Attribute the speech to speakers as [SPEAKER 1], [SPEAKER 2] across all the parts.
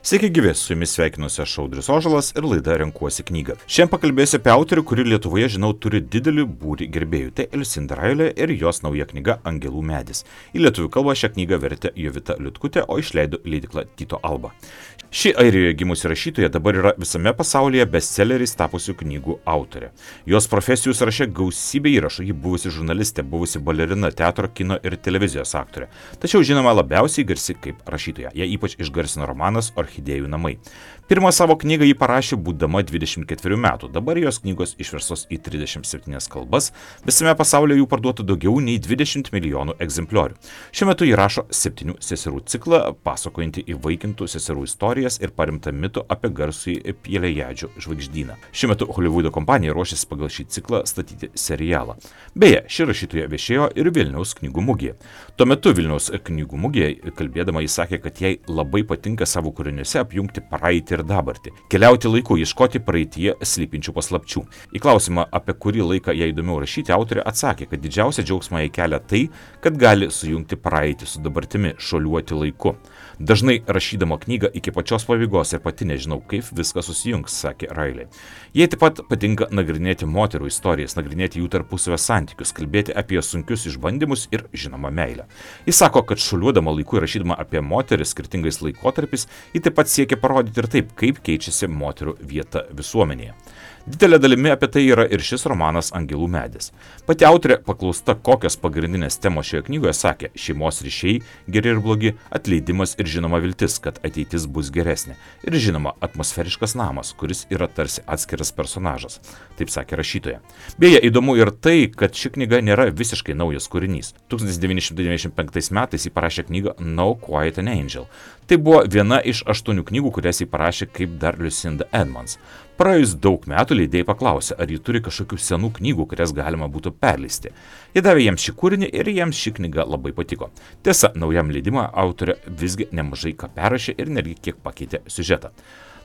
[SPEAKER 1] Sveiki gyvi, su jumis sveikinuosi aš Audrius Ožalas ir laida Renkuosi knygą. Šiandien pakalbėsiu apie autorių, kuri Lietuvoje, žinau, turi didelį būrį gerbėjų. Tai Liucinda Railė ir jos nauja knyga Angelų medis. Į lietuvių kalbą šią knygą vertė Jovita Liutkutė, o išleido leidykla Tyto Alba. Ši Airijoje gimusi rašytoja dabar yra visame pasaulyje bestselleriais tapusių knygų autorė. Jos profesijų sąraše gausybė įrašų, ji buvusi žurnalistė, buvusi balerina, teatro, kino ir televizijos aktorė. Tačiau žinoma labiausiai garsi kaip rašytoja. Ją ypač išgarsino romanas Orchidėjų namai. Pirmą savo knygą ji parašė būdama 24 metų, dabar jos knygos išverstos į 37 kalbas, visame pasaulyje jų parduota daugiau nei 20 milijonų egzempliorių. Šiuo metu ji rašo 7 seserų ciklą, pasakojantį įvaikintų seserų istorijas ir paremtą mitų apie garsųjį Pielejadžio žvaigždyną. Šiuo metu Holivudo kompanija ruošiasi pagal šį ciklą statyti serialą. Beje, ši rašytoja viešėjo ir Vilniaus knygų mugėje. Tuo metu Vilniaus knygų mugėje kalbėdama jis sakė, kad jai labai patinka savo kūriniuose apjungti praeitį ir dabartį, keliauti laiku, ieškoti praeityje slypinčių paslapčių. Į klausimą, apie kurį laiką jai įdomiau rašyti, autorė atsakė, kad didžiausia džiaugsmą jai kelia tai, kad gali sujungti praeitį su dabartimi, šuoliuoti laiku. Dažnai rašydama knygą iki pačios pabaigos ir pati nežinau, kaip viskas susijungs, sakė Railė. Jai taip pat patinka nagrinėti moterų istorijas, nagrinėti jų tarpusavio santykius, kalbėti apie sunkius išbandymus ir, žinoma, meilę. Jis sako, kad šuoliuodama laiku ir rašydama apie moteris skirtingais laikotarpiais, ji taip pat siekia parodyti ir taip, kaip keičiasi moterų vieta visuomenėje. Didelė dalimi apie tai yra ir šis romanas Angelų medis. Pati autorė paklausta, kokios pagrindinės temos šioje knygoje, sakė: šeimos ryšiai, geri ir blogi, atleidimas ir žinoma viltis, kad ateitis bus geresnė. Ir žinoma, atmosferiškas namas, kuris yra tarsi atskiras personažas. Taip sakė rašytoja. Beje, įdomu ir tai, kad ši knyga nėra visiškai naujas kūrinys. 1995 metais ji parašė knygą No Quiet an Angel. Tai buvo viena iš 8 knygų, kurias ji parašė kaip dar Lucinda Edmonds. Praėjus daug metų leidėjai paklausė, ar ji turi kažkokių senų knygų, kurias galima būtų perleisti. Jie davė jiems šį kūrinį ir jiems ši knyga labai patiko. Tiesa, naujam leidimą autorė visgi nemažai ką perrašė ir netgi kiek pakeitė siužetą.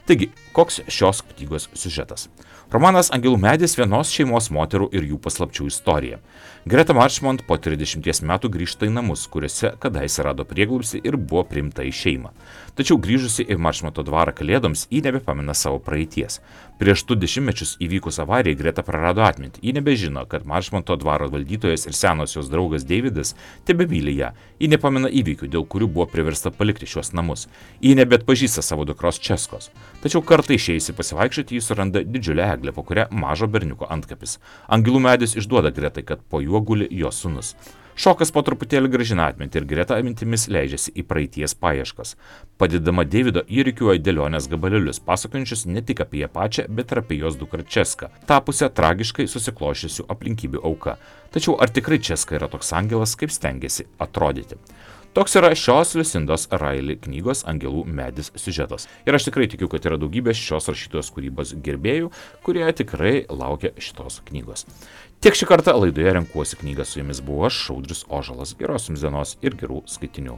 [SPEAKER 1] Taigi, koks šios knygos siužetas? Romanas Angelų medis vienos šeimos moterų ir jų paslapčių istorija. Greta Marchmont po 30 metų grįžta į namus, kuriuose kadaise rado prieglobstį ir buvo priimta į šeimą. Tačiau grįžusi į Marchmonto dvarą kalėdoms, ji nebepamena savo praeities. Prieš 2 dešimtmečius įvykus avarijai Greta prarado atmintį. Ji nebežino, kad Marchmonto dvaro valdytojas ir senosios draugas Davidas tebemyli ją. Ji nepamena įvykių, dėl kurių buvo priversta palikti šios namus. Ji nebeatpažįsta savo dukros Českos. Tačiau kartą išėjusi pasivaikščioti, ji suranda didžiulę eglę, po kurią mažo berniuko antkapis. Angelų medis išduoda Gretai, kad po juo guli jos sūnus. Šokas po truputėlį grąžina atmintį ir Greta mintimis leidžiasi į praeities paieškas. Padedama Davido įrikiuoja dėlionės gabalėlius, pasakojančius ne tik apie ją pačią, bet ir apie jos dukrą Česką, tapusią tragiškai susikloščiusių aplinkybių auka. Tačiau ar tikrai Česka yra toks angelas, kaip stengiasi atrodyti? Toks yra šios Lucindos Railė knygos Angelų medis siužetas. Ir aš tikrai tikiu, kad yra daugybė šios rašytojos kūrybos gerbėjų, kurie tikrai laukia šitos knygos. Tiek šį kartą laidoje Renkuosi knygą, su jumis buvo aš, Audrius Ožalas. Geros jums dienos ir gerų skaitinių.